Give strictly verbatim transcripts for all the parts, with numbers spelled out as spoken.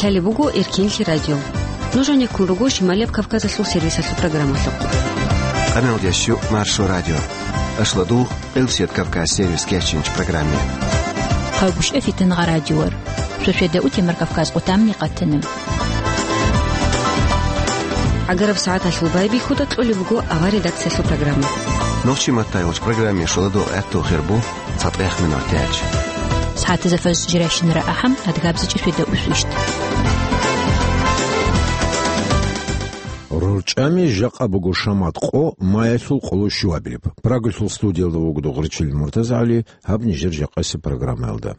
Гьале буго Эркенлъи радио. Нуж гьанеккун руго Шималияб Кавказалъул сервисалъул программалъухъ. Къаналдящу Маршо радио. Ашлодугъ Элсет Кавказ сервис кечинч программе. Хъавгушев Фитнагъа радиор. Шошведа утемар Кавказ къутамни къатана. ГӀагараб сагӀаталъул байбихьуда кьолеб буго авар редакциялъул программа. Нохчи маттайгъуч программе шоладугъ гӀатту хирбу. ЦатӀех минут тяч. СагӀатазда фаз жиращинара ахӀам, адгабзичӀи шведа усвищт. РорчӀами жакъа буго шамат къо маялъул къоло щуабилеб. Прагалъул студиялда вугода гъурчил МуртазагӀали, гьаб нижер жакъаси программаялда.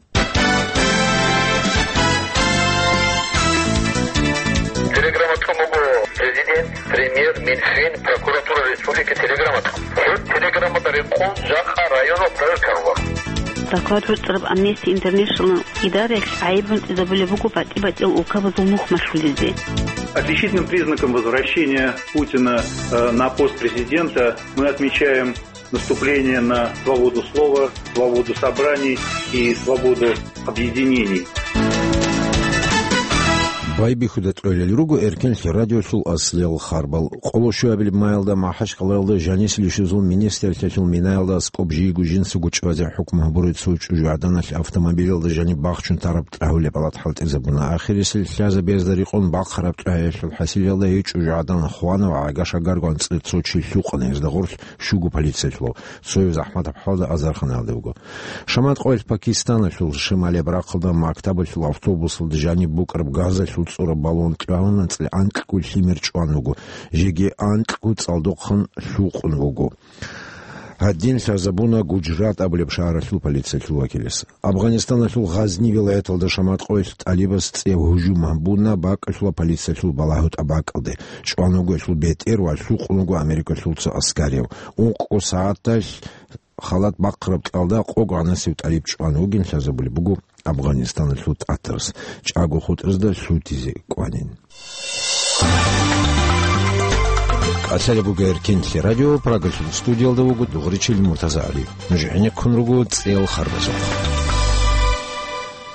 Телеграмма тӀун буго президент, премьер, Минфин, прокуратура республики телеграмма тӀун. Гьеб телеграммада рекъон жакъа районал проверка руго. Доклад гӀуцӀараб Amnesty International идараялъ гӀайиб гӀунтӀизабулеб буго батӀи-батӀиял улкабазул нух малъулезе. Отличительным признаком возвращения Путина, э, на пост президента мы отмечаем наступление на свободу слова, свободу собраний и свободу объединений. Байбихьуда тӀолел руго Эркенлъи радиолъул аслиял харбал. Къоло щуабилеб маялда МахӀачкъалаялда жанисел ишазул министрлъиялъул минаялда аскӀоб жийго жинсаго чӀвазе хӀукму гьабурай цо чӀужугӀаданалъ автомобилялда жаниб бахчун тараб тӀагьулеб палат хӀалтӀизабуна. Ахирисел лъазабезда рикъун бахъараб тӀагьаялъул хӀасилалда гьей чӀужугӀадан хвана ва гӀага-шагаргун анцӀила цо чи лъукъана гьезда гъорлъ щуго полициялъул. Цояв ЗахӀматаб хӀалда Азарханаялда вуго. Шамат къоялъ Пакистаналъул шималияб рахъалда мактабалъул автобусалда жаниб букӀараб газалъул цӀураб баллон тӀагьун анцӀила анкьго лъимер чӀван вуго, жеги анкьго цӀалдохъан лъукъун вуго. Гьадин лъазабуна Гуджрат абулеб шагьаралъул полициялъул вакилас. Афганистаналъул Гъазни вилаяталда шамат къоялъ тӀалибас цӀияб гьужум гьабуна бакӀалъула полициялъул балагьутӀа бакӀалде. ЧӀван вуго гьелъул бетӀер ва лъукъун вуго Америкалъул цо аскарияв. Ункъго сагӀаталъ халат бахъараб кьалда къого гӀанасев тӀалиб чӀван вугин лъазабулеб буго Афганистаналъул тӀатарас. ЧӀаго хутӀазда лъутизе кӀванин. КӀалъалеб буго Эркенлъи радио, Прагалъул студиялда вуго дугъричил МуртазагӀали. Нуж гӀенеккун руго цӀел харбазухъ.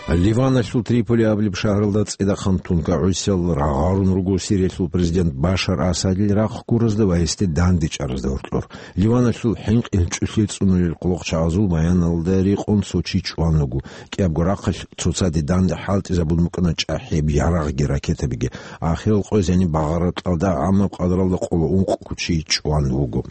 Ливаналъул Триполи абулеб шагьаралда цӀидахъан тункагӀусиял рагъарун руго Сириялъул президент Башар Асадил рахъ гуразда ва гьесде дандечӀаразда гьоркьор. Ливаналъул хӀинкъи чӀухӀи цӀунулел къулахъчагӀазул баяналда рекъон цо чи чӀван вуго. КӀиябго рахъалъ цоцаде данде хӀалтӀизабун букӀана чӀахӀияб ярагъги ракетабиги. Ахирал къоязени багъараб кьалда гӀамаб къадралда къоло ункъго чи чӀван вуго.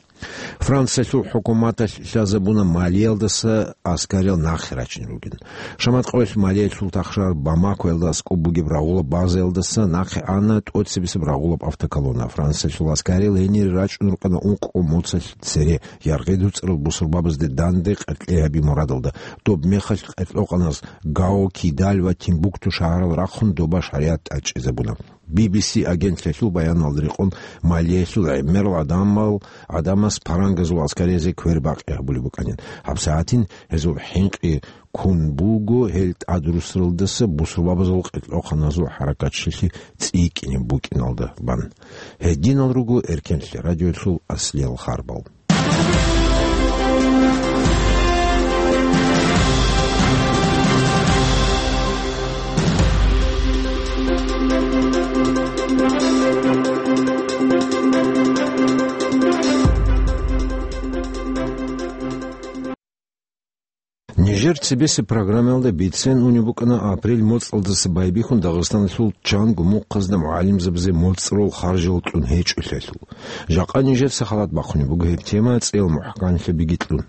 Франциялъул хӀукуматалъ лъазабуна Малиялдаса аскариял нахъе рачинел ругин. Шамат къоялъ Малиялъул тахшар Бамакоялда аскӀоб бугеб рагъулаб базаялдаса нахъе ана тӀоцебесеб рагъулаб автоколонна. Франциялъул аскариял гьенире рачӀун рукӀана ункъго моцалъ цере, яргъи дуцӀарал бусурбабазде данде къеркьей гьаби мурадалда. Доб мехалъ къеркьокъаназ Гао, Кидаль ва Тимбукту шагьарал рахъун доба шаригӀат тӀадчӀезабуна. Би би си агентлъиялъул баяналда рекъон, Малиялъул гӀемерал гӀадамал, гӀадамас парангазул аскариязде квербакъи гьабулеб букӀанин. ГьабсагӀатин гьезул хӀинкъи ккун буго гьел тӀадрусаралдаса бусурбабазул къеркьохъаназул хӀаракатчилъи цӀикӀкӀинеб букӀиналда бан. Гьединал руго Эркенлъи радиолъул аслиял харбал. Нижер цебесеб программаялда бицен унеб букӀана апрель моцӀалдаса байбихьун Дагъистаналъул чанго мухъазда мугӀалимзабазе моцӀрол харжал кьун гьечӀолъиялъул. Жакъа нижеца халат бахъунеб буго гьеб тема цӀел мухӀканлъабиги кьун.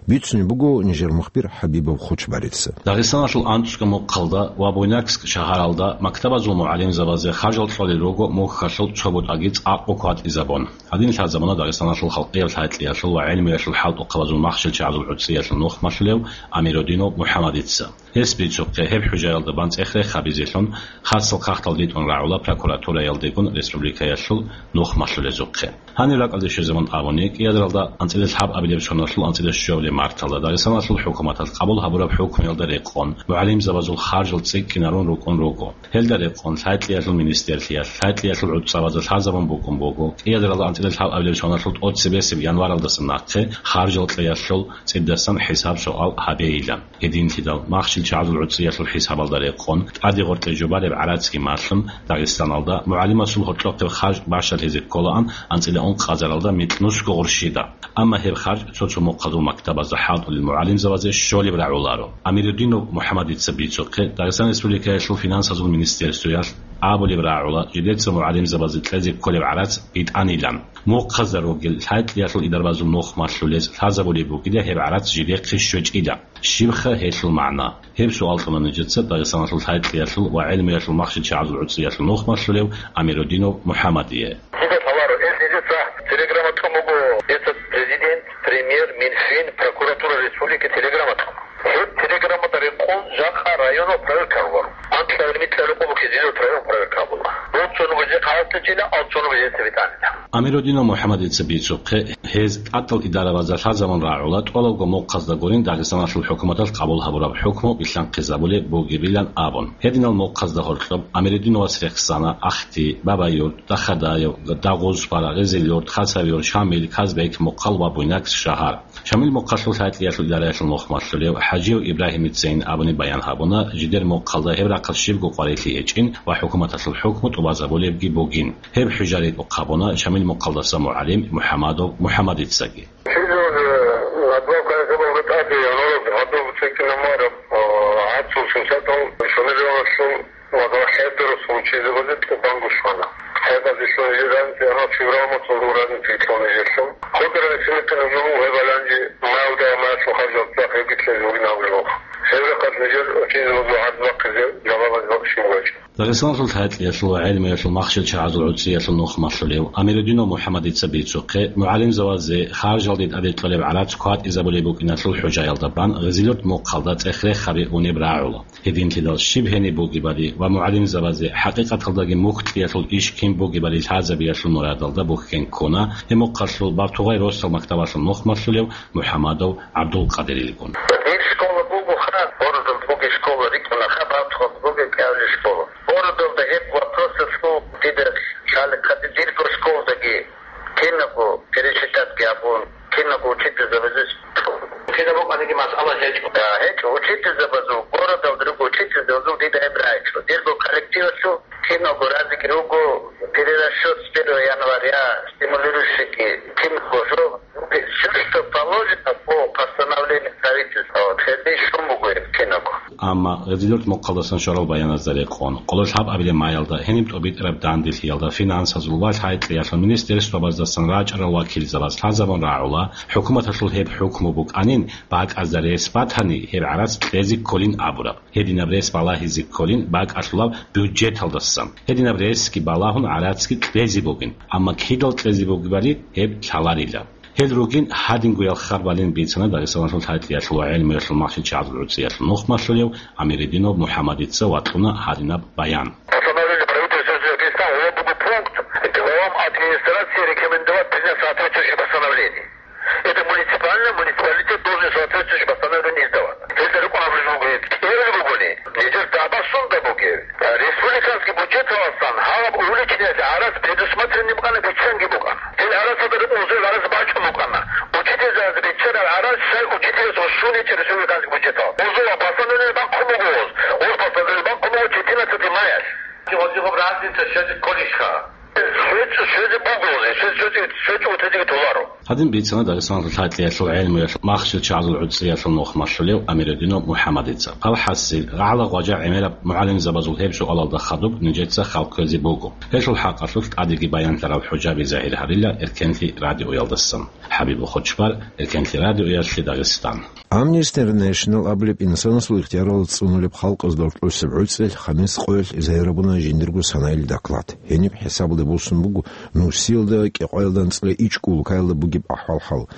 Бицунеб буго нижер мухбир ХӀабибов Хочбарица. Дагъистаналъул анцӀго мухъалда ва Буйнакск шагьаралда мактабазул мугӀалимзабазе харжал кьолел руго мухьалъул цо бутӀаги цӀакъго кватӀизабун. Гьадин лъазабуна Дагъистаналъул халкъияб лъай-кьиялъул ва гӀелмуялъул хӀалтӀухъабазул махщел-чагӀазул гӀуцӀиялъул нух малъулев Амирудинов МухӀаммадица. Гьес бицухъе, гьеб хӀужаялда бан цӀех рехабизелъун, хасал хахтал дитӀун рагӀула прокуратураялдегун республикаялъул нух малъулезухъе. Гьанир ракӀалде щвезабун абуни, кӀиадаралда анцӀила лъабабилеб соналъул анцӀила щуабилеб марталда Дагъистаналъул хӀукуматалъ къабул гьабураб хӀукмуялда рекъон, мугӀалимзабазул харжал цӀикӀкӀинарун рукӀун руго. Гьелда рекъон лъай-кьиялъул министрлъиялъ, лъай-кьиялъул гӀуцӀабазда лъазабун букӀун буго, кӀиадаралда анцӀила лъабабилеб соналъул тӀоцебесеб январалдаса нахъе харжал кьеялъул цӀидасан хӀисаб-суал гьабейилан. Гьединлъидал махщел ЧагӀазул гӀуцӀиялъул хӀисабалда рекъон, тӀаде гъоркье жубареб гӀарацги малъун, Дагъистаналда мугӀалимасул гьоркьохъеб харж бащалъизе кколаан анцӀила ункъазаралда микьнусго гъурщида. Амма гьеб харж цо-цо мухъазул мактабазда хӀалтӀулел мугӀалимзабазе щолеб рагӀуларо. Амирудинов МухӀамадица бицухъе, Дагъистан Республикаялъул финансазул министерствоялъ абулеб рагӀула жидеца мугӀалимзабазе кьезе кколеб гӀарац битӀанилан. Мухъазда ругел лъай-кьиялъул идарабазул нух малъулез лъазабулеб бугила гьеб гӀарац жидехъе щвечӀила. Щибха гьелъул магӀна? Гьеб суал кьуна нижеца Дагъистаналъул лъай-кьиялъул ва гӀелмуялъул махщел чагӀазул гӀуцӀиялъул нух малъулев Амирудинов МухӀамадие. Дида лъаларо, гьел нижеца телеграмма тӀун буго, это президент, премьер, Минфин, прокуратура республики телеграмма тӀун. Гьеб телеграммада рекъон жакъа районал проверка гьабула. Анкьабилеб-микьабилеб къо бугеб жидер район проверка гьабула. Дов цо нугӀ жинца гьаракь гьечӀила, ав цо нугӀ жинца битӀанила. Амирудинов МухӀамадица бицухъе, гьез тӀатал идарабазда лъазабун рагӀула тӀолабго мухъазда гурин Дагъистаналъул хӀукуматалъ къабул гьабураб хӀукму билълъанхъизабулеб бугебилан абун. Гьединал мухъазда гьоркьоб Амирудиновас рехсана Ахти, Бабаюрт, Дахадаев, Дагъуз, Пара, Гъизилюрт, Хасавюрт, Шамил, Казбек, Мухъал ва Буйнакск шагьар. Шамил мухъалъул лъай-кьиялъул идараялъул нух малъулев ХӀажиев Ибрагьимицайин абуни баян гьабуна, жидер мухъалда гьеб рахъалъ щибго къварилъи гьечӀин ва хӀукуматалъул хӀукму тӀубазабулебги бугин. Гьеб хӀужа ритӀухъ гьабуна Шамил мухъалдаса мугӀалим МухӀамадов МухӀамадицаги. Чизе уже надбавка хӀисабалда тӀаде гьанураб гьадуб цӀикӀкӀинаб мараб, а, гӀацӀцӀул сунсатал Шамил Ивановичул ва хӀедурус гьунчизабазе тӀубанго щвана. ХӀебазелъун жиранти ана февраль моцӀалда уранти кьуна жерлъун. Гьудара синекъин гьужуму гьебаланги маялда маялъул харжал цӀакъ гьеб битлъизе бугин абулеб. Гьеб рахъалъ нижер учизабазул гӀарз бахъизе жавабаз бакӀ щиб бачӀа. Дагъистаналъул лъай-кьиялъул ва гӀелмуялъул махщел чагӀазул гӀуцӀиялъул нух малъулев Амирудинов МухӀамадица бицухъе, мугӀалимзабазе харжалде тӀаде кьолеб гӀарац кватӀизабулеб букӀиналъул хӀужаялда бан Гъизилюрт мухъалда цӀех-рехаби унеб рагӀула. Гьединлъидал щиб гьениб бугебали ва мугӀалимзабазе хӀакъикъаталдаги мухь кьиялъул иш кин бугебали лъазабиялъул мурадалда бухьен ккуна гьеб мухъалъул Бартугъай росдал мактабалъул нух малъулев МухӀамадов ГӀабдулкъадирилгун. Дир школа буго ха, гьородалда бугеб школа рикӀкӀуна ха, Бартугъалда бугеб кӀиабилеб школа. Гьородалда гьеб вопросалъул дида лъалеб хъатӀи, дирго школдаги кинабго пересчитатги гьабун, кинабго учительзабазул. Кинабго къаниги масъала гьечӀо. А, гьечӀо. Учительзабазул, городалда руго учительзабазул дида гьеб рагӀичӀо. Дирго коллективалъул киналго разиги руго перерасчёт с первого января, стимулирующийги киналго жо. Всё, что положено по постановлению правительства, вот, гьеб щун буго гьеб киналго. Амма Гъизилюрт мухъалдасан щварал баяназда рекъон, къоло лъабабилеб маялда гьениб тӀубитӀараб данделъиялда финансазул ва лъай-кьиялъул министерствабаздасан рачӀарал вакилзабаз лъазабун рагӀула, хӀукуматалъул гьеб хӀукму букӀанин, бакӀазда рес батани, гьеб гӀарац кьезе кколин абураб. Гьединаб рес балагьизе кколин бакӀалъулаб бюджеталдасан. Гьединаб ресги балагьун гӀарацги кьезе бугин, амма кидал кьезе бугебали гьеб лъаларила. Гьел ругин гьадингоял хабаралин бицана Дагъистаналъул лъай-кьиялъул ва гӀелмуялъул махщел чагӀазул гӀуцӀиялъул нух малъулев Амирудинов МухӀамадица вачӀуна гьадинаб баян. Постановление правительства Дагестана, гьеб буго пункт, главам администрации рекомендовать принять соответствующее постановление. Это муниципальный, муниципалитет должен соответствующее постановление издавать. Гьелда рекъон абулеб буго гьеб, кӀиабилеб бугони, нижер дагӀба сунда бугеб. Республиканский бюджеталдасан гьаб увеличениялъе гӀарац предусмотренный букӀана, биччанги букӀана. Гьел гӀарацалда рекъон гьезул гӀарац бачӀун букӀана. Учительзабазе биччараб гӀарац щай учительзабаз щун гьечӀеб республиканский бюджеталда. Гьезул постановление бахъун буго гьез. Гьез постановление бахъун буго четырнадцатого мая. Гьезул разница щвезе кколищха? Щвезе, щвезе буго гьез, щвезе, щвезе, щвечӀого тезеги толаро. Гьадин бицана Дагъистаналъул лъай-кьиялъул гӀелмуялъул махщел чагӀазул гӀуцӀиялъул нух малъулев Амирудинов МухӀамадица. Гьал хӀасил, гӀагӀла гъважа гӀемераб мугӀалимзабазул гьеб суалалда хадуб нижеца хал кквезе буго. Гьелъул хӀакъалъулъ тӀадеги баянлъараб хӀужаби загьир гьарила Эркенлъи радиоялдасан. ХӀабибул Хочбар, Эркенлъи радиоялъе Дагъистан. Amnesty International абулеб инсанасул ихтияралда цӀунулеб халкъазда рокьулъ гӀуцӀиялъ хамис къоялъ загьир гьабуна жиндирго санаил доклад. Гьениб хӀисабалде босун буго Нурсиялда кӀикъоялда анцӀила ичӀго улкаялда бугеб ахӀвал-хӀал.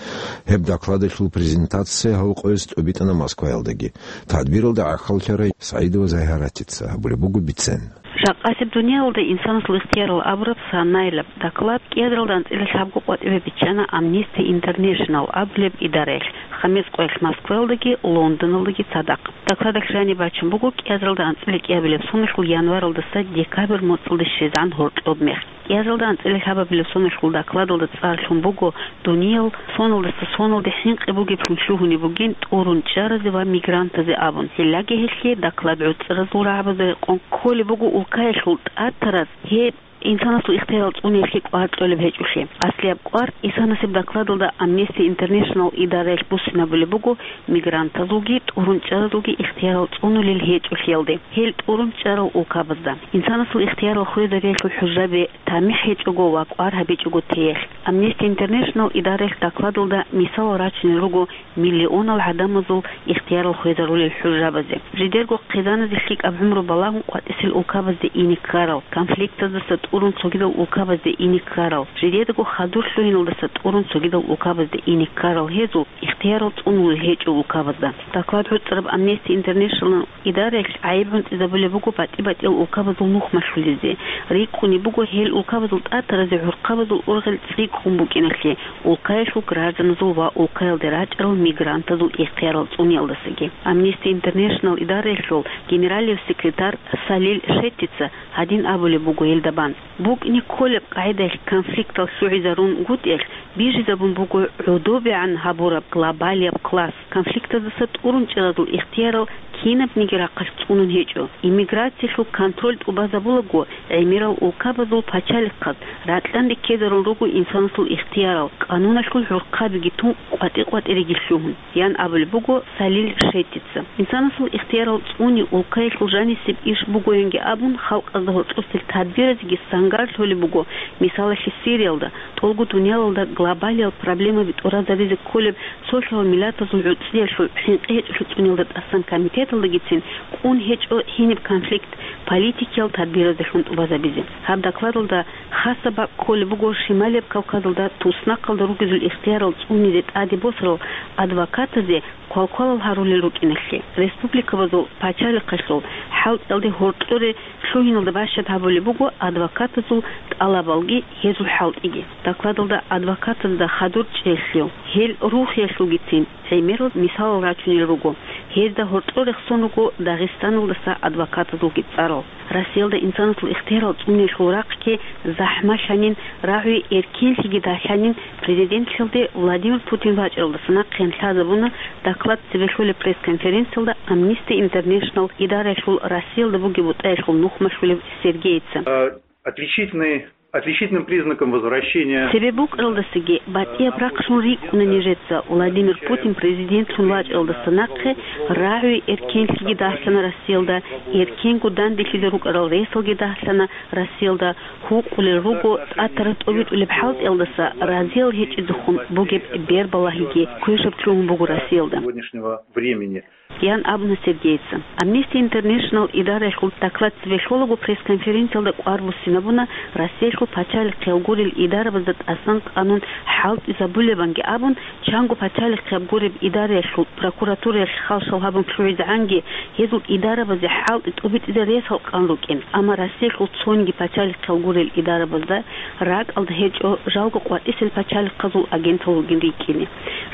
Гьеб докладалъул презентация гьал къояз тӀубитӀана Москваялдаги. Тадбиралда гӀахьаллъарай СагӀидова Загьаратица гьабулеб буго бицен. Жакъасеб дуниялалда инсанасул ихтиярал абураб санаилаб доклад кӀиазаралда анцӀила лъабго къватӀибе биччана Amnesty International абулеб идараялъ, хамис къоялъ Москваялдаги Лондоналдаги цадахъ. Докладалъ жаниб бачун буго кӀиазаралда анцӀила кӀиабилеб соналъул январалдаса декабрь моцӀалде щвезегӀан гьоркьоб мех. Язалда анцӀила лъабабилеб соналъул докладалда цӀар лъун буго дуниял соналдаса соналде хӀинкъи бугеблъун лъугьунеб бугин тӀурун чӀаразе ва мигрантазе абун. Гьеллаги гьелъие доклад гӀуцӀразул рагӀабазда рекъон кколеб буго улкаялъул тӀатараз гьеб инсанасул ихтиярал цӀуниялъе кӀвар кьолеб гьечӀолъи. Аслияб кӀвар исанасеб докладалда Amnesty International идараялъ буссинабулеб буго мигрантазулги тӀурун чӀаразулги ихтиярал цӀунулел гьечӀолъиялде, гьел тӀурун чӀарал улкабазда. Инсанасул ихтиярал хвезариялъул хӀужаби тамихӀ гьечӀого ва кӀвар гьабичӀого теялъ. Amnesty International идараялъ докладалда мисалал рачунел руго миллионал гӀадамазул ихтиярал хвезарулел хӀужабазе. Жидерго хъизаназе лъикӀаб гӀумру балагьун къватӀисел улкабазде ине ккарал, конфликтаздаса тӀурун цогидал улкабазде ине ккарал, жидедаго хадур лъугьиналдаса тӀурун цогидал улкабазде ине ккарал гьезул ихтиярал цӀунулел гьечӀо улкабазда. Доклад гӀуцӀараб Amnesty International идараялъ гӀайиб гӀунтӀизабулеб буго батӀи-батӀиял улкабазул нухмалъулезе. РикӀкӀунеб буго гьел улкабазул тӀатаразе гӀурхъабазул ургъел цӀикӀкӀун букӀиналъе, улкаялъул гражданазул ва улкаялде рачӀарал мигрантазул ихтиярал цӀуниялдасаги. Amnesty International идараялъул генералияб секретарь Салил Шеттица гьадин абулеб буго гьелда бан: «БукӀине кколеб къагӀидаялъ конфликтал лъугӀизарунгутӀиялъ бижизабун буго гӀодобегӀан гьабураб глобалияб класс. Конфликтаздаса тӀурун чӀаразул ихтиярал кинабниги рахъалъ цӀунун гьечӀо. Иммиграциялъул контроль тӀубазабулаго, гӀемерал улкабазул пачалихъаз ракьанде ккезарун руго инсанасул ихтиярал, къануналъул гӀурхъабиги тун къватӀи-къватӀиреги лъугьун», — ян абулеб буго Салил Шеттица. Инсанасул ихтиярал цӀуни улкаялъул жанисеб иш бугоянги абун, халкъазда гьоркьосел тадбиразеги сангар лъолеб буго, мисалалъе, Сириялда, тӀолго дуниялалда глобалиял проблемаби тӀуразаризе кколеб цолъал миллатазул гӀуцӀиялъул хӀинкъи гьечӀолъи цӀуниялда тӀасан комитеталдагицин кӀун гьечӀо гьениб конфликт политикиял тадбиразелъун тӀубазабизе. Гьаб докладалда хасаб бакӀ кколеб буго Шималияб Кавказалда туснахъалда ругезул ихтиярал цӀунизе тӀаде босарал адвокатазе квалквалал гьарулел рукӀиналъе. Республикабазул пачалихъалъул хӀалтӀиялде гьоркьоре лъугьиналда бащад гьабулеб буго адвокатазул тӀалабалги гьезул хӀалтӀиги. Докладалда адвокатазда хадур чӀеялъул, гьел рухиялъулгицин гӀемерал мисалал рачунел руго. Гьезда гьоркьор рехсон руго Дагъистаналдаса адвокатазулги цӀарал. Россиялда инсанасул ихтиярал цӀуниялъул рахъги захӀмалъанин, рагӀуе эркенлъиги далъанин президентлъиялде Владимир Путин вачӀаралдаса нахъеян лъазабуна доклад цебе лъолеб пресс-конференциялда Amnesty International идараялъул Россиялда бугеб бутӀаялъул нухмалъулев Сергейица. Э, отличительный, отличительным признаком возвращения Цебе букӀаралдасаги батӀияб рахълъун рикӀкӀуна нижеца, Владимир Путин президентлъун вачӀаралдаса нахъе рагӀуе эркенлъиги далъана Россиялда, эркенго данделъизе рукӀарал ресалги далъана Россиялда, гьукъулел руго тӀатараз тӀобитӀулеб хӀалтӀиялдаса разиял гьечӀезехун бугеб бербалагьиги квешаб лъугьун буго Россиялда. Сегодняшнего времени. Ян абуна Сергейица. Amnesty International идараялъул доклад цебе лъолаго пресс-конференциялда кӀвар буссинабуна Россиялъул пачалихъиял гурел идарабазда тӀасан къанун хӀалтӀизабулебанги абун, чанго пачалихъияб гуреб идараялъул прокуратураялъ халшал гьабун лъугӀизегӀанги гьезул идарабазе хӀалтӀи тӀубитӀизе ресал къан рукӀин. Амма Россиялъул цониги пачалихъиял гурел идарабазда ракӀалда гьечӀо жалго къватӀисел пачалихъазул агентал ругин рикӀкӀине.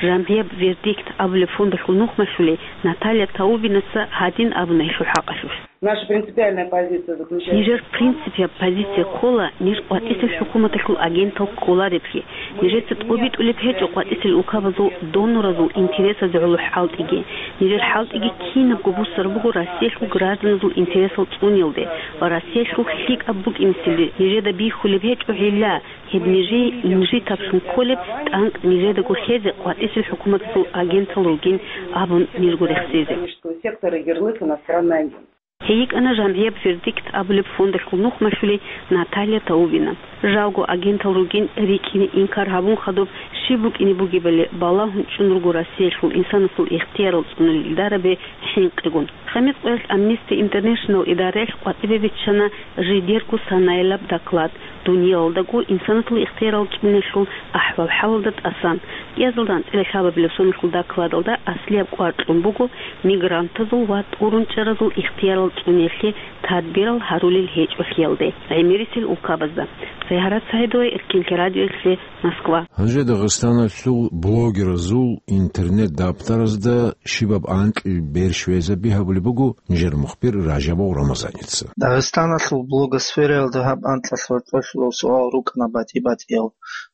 ЖамгӀияб «Вердикт» абулеб фондалъул нухмалъулей Наталья Таубинаса гьадин абуна гьелъул хӀакъалъулъ. Наша принципиальная позиция заключается в том, Нижер принципияб позиция ккола ниж къватӀисел хӀукуматалъул агентал кколареблъи. Нижеца тӀобитӀулеб гьечӀо къватӀисел улкабазул доноразул интересазе гӀоло хӀалтӀиги. Нижер хӀалтӀиги кинабго буссараб буго Россиялъул гражданазул интересал цӀуниялде ва Россиялъул лъикӀаб букӀинеселде нижеда бихьулеб гьечӀо гьелла, гьеб нижее инжитаблъун кколеб тӀанкӀ нижедаго лъезе къватӀисел хӀукуматалъул агентал ругин абун нижго рехсезе. Экономического сектора ярлык иностранный агент. Гьей йикӀана жамгӀияб «Вердикт» абулеб фондалъул нухмалъулей Наталья Таубина. Жалго агентал ругин рикӀкӀине инкар гьабун хадуб щиб букӀине бугебали балагьун чӀун руго Россиялъул инсанасул ихтиярал цӀунулел идарабе хӀинкъигун. Хамис къоялъ Amnesty International идараялъ къватӀибе биччана жидерго санаялаб доклад, дуниялалдаго инсанасул ихтиярал цӀуниялъул ахӀвал-хӀалалда тӀасан. Кьиязалда анцӀила лъабабилеб соналъул докладалда аслияб кӀвар кьун буго мигрантазул ва тӀурунчӀаразул ихтиярал цӀуниялъе тадбирал гьарулел гьечӀолъиялде гӀемерисел улкабазда. Сайгьарат СагӀидова, Эркинлъи радиоялъе, Москва. Гьанже Дагъистаналъул блогеразул интернет-даптаразда щибаб анкьил берш везаби гьабулеб буго нижер мухбир Ражабов Рамазаница. Дагъистаналъул блогосфераялда гьаб анкьалъ гьоркьолъулал суал рукӀана батӀи-батӀиял.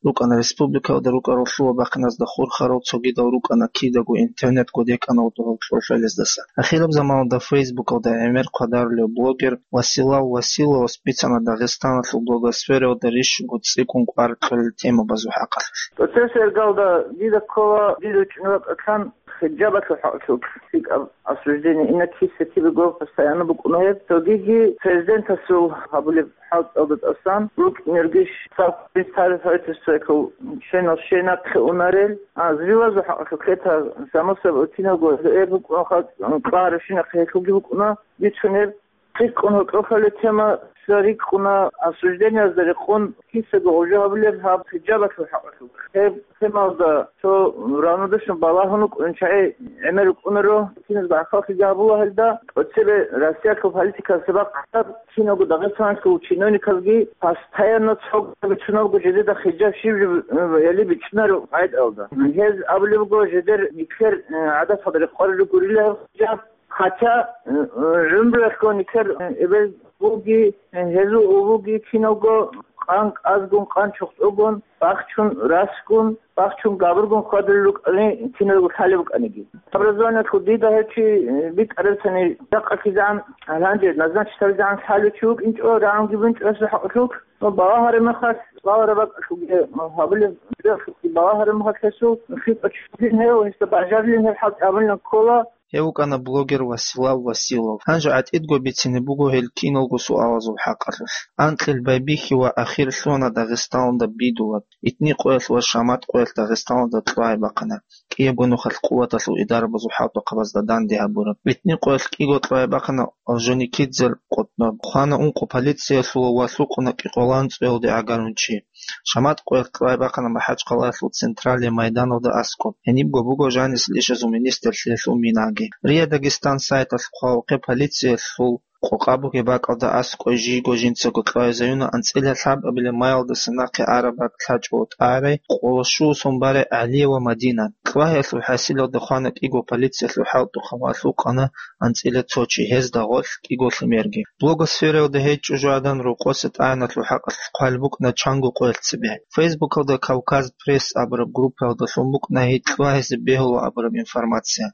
РукӀана республикаялда рукӀарал лъугьа-бахъиназда хурхарал, цогидал рукӀана кидаго интернет кодекӀанал догьал кьолъалездаса. Ахираб заманалда Фейсбукалда гӀемер хъвадарулев блогер Василав Василовас бицана Дагъистаналъул блогосфераялда рищунго цӀикӀкӀун кӀвар кьолел темабазул хӀакъалъулъ. ТӀоцебесеб иргалда дида ккола, дида чӀунура кьан хиджабалъул хӀакъалъулъ лъикӀаб осуждение, инак киса-кибего постоянно букӀуна гьеб. Цогиги президентасул гьабулеб хӀалтӀалда тӀасан рукӀинергищ, цал представитель правительствоялъул членал щай нахъе унарел, а, зривазул хӀакъалъулъ лъетар, само собой, киналго гьеб букӀун халкъ кьарабщинахъе гьелъулги букӀуна бицунеб. ЦӀикӀкӀун гьоркьохъале тема рикӀкӀуна, осуждениязда рекъон кисаго гъужа гьабулеб гьаб хиджабалъул хӀакъалъулъ. Гьеб темалда цо равнодушно балагьун вукӀун чагӀи гӀемер рукӀунаро, киназго гӀахьаллъиги гьабула гьелда. ТӀоцебе Россиялъул политикалъе бахъараб, киналго Дагъистаналъул чиновникалги постоянно цо бицунабго жидеда хиджаб щиб жо, э, яли бичӀчӀунаро къагӀидаялда. Гьез абулеб буго, жидер нилъер, э, гӀадаталда рекъон гурила гьеб хиджаб. Хотя, э, э, гӀумруялъго нилъер, э, эбел буги, э, гьезул улуги киналго къан кӀазгун, къан чухъцӀугун, бахчун, расгун, бахчун, габургун хьвадулел рукӀани киналго лъалеб букӀаниги. Образованиялъул дида гьев чи, э, битӀарабцани, жакъа кизегӀан, гьанже назначить гьабизегӀан лъалев чи вукӀинчӀо, рагӀунги букӀинчӀо гьесул хӀакъалъулъ, ну, балагьараб мехалъ, балагьараб бакӀалъулъги, ну, гьабулеб, балагьараб мехалъ гьесул, хитӀа чи вугин гьев, гьесда бажарилин гьеб хӀалтӀи гьабулин ккола. Гьев вукӀана блогер Василав Василов. Гьанже гӀатӀидго бицине буго гьел киналго суалазул хӀакъалъулъ. Анкьил байбихьи ва ахир лъугьана Дагъистаналда Бидулаб, Итни къоялъ ва Шамат къоялъ Дагъистаналда кьвагӀи бахъана, кӀиябго нухалъ къуваталъул идарабазул хӀалтӀухъабазда данде гьабураб. Итни къоялъ кӀиго кьвагӀи бахъана Орджоникидзе Къутнаб. Хвана ункъо полициялъул ва лъукъуна кӀикъоялда анцӀоялде гӀагарун чи. Шамат къоялъ кьвагӀи бахъана МахӀачхъалаялъул централияб майданалда аскӀоб. Гьенибго буго жанисел ишазул министрлъиялъул минаги. РИА Дагестан сайталъ хъвалухъе полициялъул къокъа бугеб бакӀалда аскӀой жийго жинцаго кьвагӀизаюна анцӀила лъабабилеб маялдаса нахъе араб бакӀ лъачӀого тӀагӀарай къолошуусун барай ГӀалиева Мадина. КьвагӀиялъул хӀасилалда хвана кӀиго полициялъул хӀалтӀухъаб ва лъукъана анцӀила цо чи, гьезда гъорлъ кӀиго лъимерги. Блогосфераялда гьей чӀужугӀадан рокъоса тӀагӀиналъул хӀакъалъулъ хъвалеб букӀана чанго къоялъ цебе. Фейсбукалда Кавказ Пресс абураб группаялда лъун букӀана гьей кьвагӀизе бегьула абураб информация.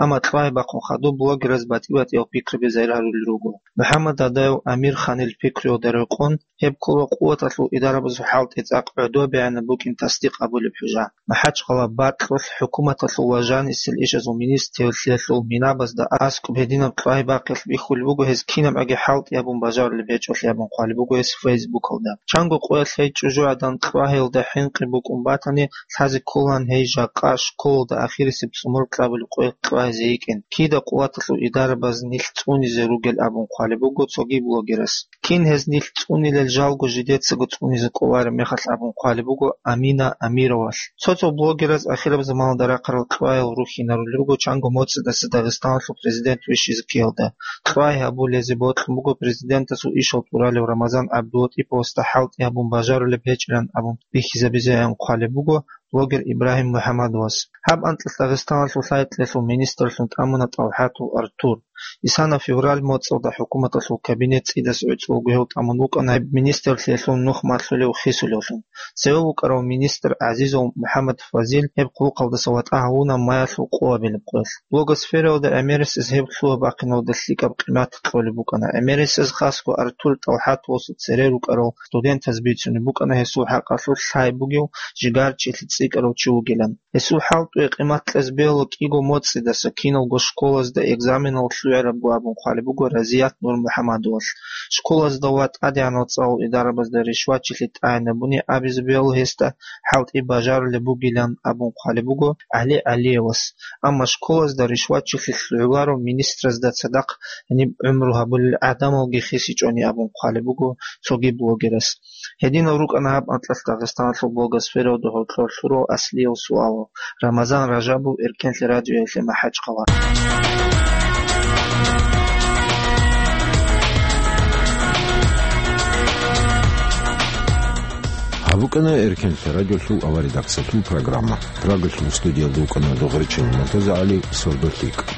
Амма кьвагӀи бахъун хадуб блогераз батӀи-батӀиял пикраби загьир гьарулел руго. МухӀаммад Дадаев Амир-ханил пикруялда рекъон, гьеб ккола къуваталъул идарабазул хӀалтӀи цӀакъ гӀодобегӀанаб букӀин тасдикъ абулеб хӀужа. МахӀачхъала бакьулъ хӀукуматалъул ва жанисел ишазул министрлъиялъул минабазда аскӀоб гьединаб кьвагӀи бахъиялъ бихьулеб буго гьез кинабгӀаги хӀалтӀи гьабун бажарулеб гьечӀолъи абун хъвалеб буго гьес Фейсбукалда. Чанго къоялъ гьей чӀужугӀадан кьвагӀиялда хӀинкъи букӀун батани, лъазе кколаан гьей жакъа школалда ахирисеб цӀумру кьабулеб къоялъ кьвагӀизе йикӀин. Кида къуваталъул идарабаз нилъ цӀунизе ругел абун хъвалеб буго цоги блогерас. Кин гьез нилъ цӀунилел жалго жидецаго цӀунизе кӀолареб мехалъ абун хъвалеб буго Амина Амировалъ. Цо-цо блогераз ахираб заманалда рахъарал кьвагӀиял рухьинарулел руго чанго моцӀидаса Дагъистаналъул президент вищизе ккеялда. КьвагӀи гьабулезе бокьун буго президентасул ишал тӀуралев Рамазан ГӀабдулатӀиповасда хӀалтӀи гьабун бажарулеб гьечӀилан абун бихьизабизеян хъвалеб буго блогер Ибрагьим МухӀаммадовас. Гьаб анкьалъ Дагъистаналъул лъай-кьелъул министрлъун тӀамуна ТӀалхӀатов Артур. Исана февраль моцӀалда хӀукуматалъул кабинет цӀидас гӀуцӀулго гьев тӀамун вукӀана гьеб министрлъиялъул нух малъулев хисулевлъун. Цеве вукӀарав министр ГӀазизов МухӀаммад Фазил гьеб хъулухъалдаса ватӀа гьавуна маялъул къоабилеб къоялъ. Блогосфераялда гӀемерисез гьеб лъугьа-бахъиналда лъикӀаб къимат кьолеб букӀана. ГӀемерисез хасго Артур ТӀалхӀатовасул цере рукӀарал студентаз бицунеб букӀана гьесул хӀакъалъулъ лъай бугев жигарчилъи цӀикӀкӀарав чи вугилан. Гьесул хӀалтӀуе къимат кьезе бегьула кӀиго моцӀидаса киналго школазда экзаменал лъугӀарабго абун хъвалеб буго Разият Нурмухьамадовалъ. Школазда ва тӀадегӀанал цӀалул идарабазда ришватчилъи тӀагӀинабуни абизе бегьула гьесда хӀалтӀи бажарулеб бугилан абун хъвалеб буго ГӀали ГӀалиевас. Амма школазда ришватчилъи лъугӀуларо министразда цадахъ гьаниб гӀумру гьабулел гӀадамалги хисичӀони абун хъвалеб буго цоги блогерас. Гьединал рукӀана гьаб анкьалъ Дагъистаналъул блогосфераялда гьоркьор лъурал аслиял суалал. Рамазан Ражабов, Эркенлъи радиоялъе, МахӀачхъала. Гьаб букӀана Эркенлъа радиолъул авария редакциялъул программа. Прагалъул студиялда вукӀана Догъричан МуртазагӀали, «Сордо лъикӀ».